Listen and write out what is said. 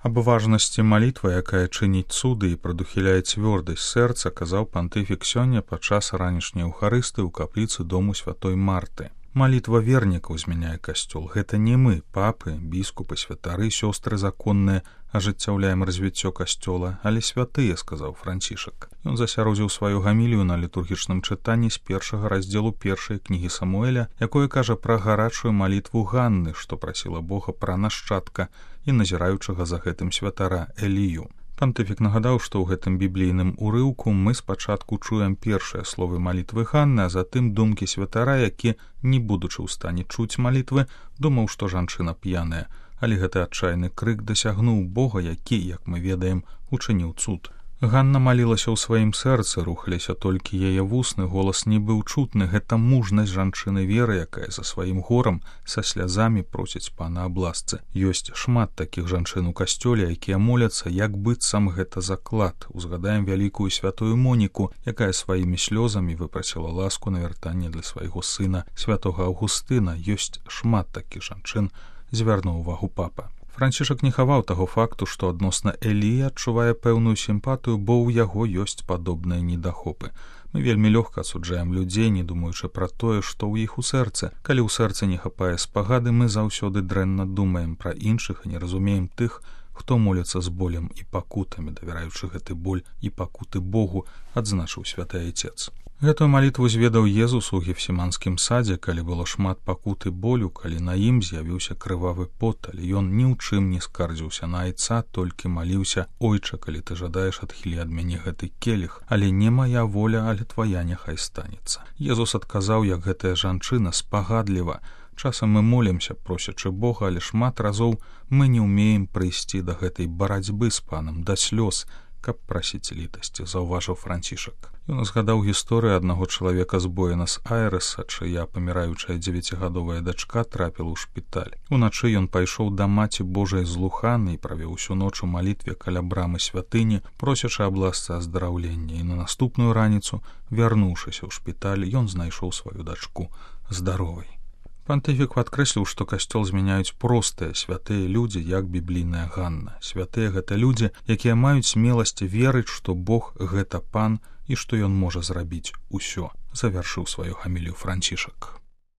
Аб важнасці малітвы, якая чыніць цуды і прадухіляе цвёрдасць сэрца, казаў пантыфік сёння падчас ранішняй эўхарысты ў капліцы дому святой Марты. Малітва вернікаў змяняе касцёл. Гэта не мы, папы, біскупы, святары, сёстры законныя, ажыццяўляем развіццё касцёла, але святыя, сказаў Францішак. Ён засяродзіў сваю гамілію на літургічным чытанні з першага раздзелу першай кнігі Самуэля, якое кажа пра гарачую малітву Ганны, што прасіла Бога пра нашчадка і назіраючага за гэтым святара Элію. Пантыфік нагадаў, што ў гэтым біблійным урыўку мы спачатку чуем першыя словы малітвы Ганны, а затым думкі святара, які, не будучы ў стане чуць малітвы, думаў, што жанчына п'яная, але гэты адчайны крык дасягнуў Бога, які, як мы ведаем, учыніў цуд. Ганна малілася ў сваім сэрцы, рухаліся толькі яе вусны, голас не быў чутны. Гэта мужнасць жанчыны веры, якая за сваім горам са слязамі просіць пана аб ласцы. Ёсць шмат такіх жанчын у касцёле, якія моляцца, як быццам гэта заклад. Узгадаем вялікую святую Моніку, якая сваімі слёзамі выпрасіла ласку на вяртанне для свайго сына, святога Аўгустына. Ёсць шмат такіх жанчын, звярнуў увагу папа. Францішак не хаваў таго факту, што адносна Эліі адчувае пэўную сімпатыю, бо ў яго ёсць падобныя недахопы. Мы вельмі лёгка асуджаем людзей, не думаючы пра тое, што ў іх у сэрцы. Калі ў сэрцы не хапае спагады, мы заўсёды дрэнна думаем пра іншых і не разумеем тых, хто моліцца з болем і пакутамі, давяраючы гэты боль і пакуты Богу, адзначыў святы Айцец. Гэтую малітву зведаў Езус у Гефсіманскім садзе, калі было шмат пакуты болю, калі на ім з'явіўся крывавы пот, але ён ні ў чым не скардзіўся на Айца, толькі маліўся: «Ойча, калі ты жадаеш, адхілі ад мяне гэты келіх, але не мая воля, але твая няхай станецца». Езус адказаў, як гэтая жанчына, спагадліва. Часам мы молімся, просячы Бога, але шмат разоў мы не ўмеем прыйсці да гэтай барацьбы з панам, да слёз, каб прасіць літасці, заўважыў Францішак. Ён згадаў гісторыю аднаго чалавека з Буэнас-Айрэса, чыя паміраючая 9гадовая дачка трапіла ў шпіталь. Уначы ён пайшоў да маці Божай з Луханы і правеў усю ноч у малітве каля брамы святыні, просячы аб ласцы аздараўлення, і на наступную раніцу, вярнуўшыся ў шпіталь, ён знайшоў сваю дачку здаровай. Пантыфік падкрэсліў, што касцёл змяняюць простыя, святыя людзі, як біблійная Ганна. Святыя — гэта людзі, якія маюць смеласць верыць, што Бог — гэта пан і што ён можа зрабіць усё, завяршыў сваю гамілію Францішак.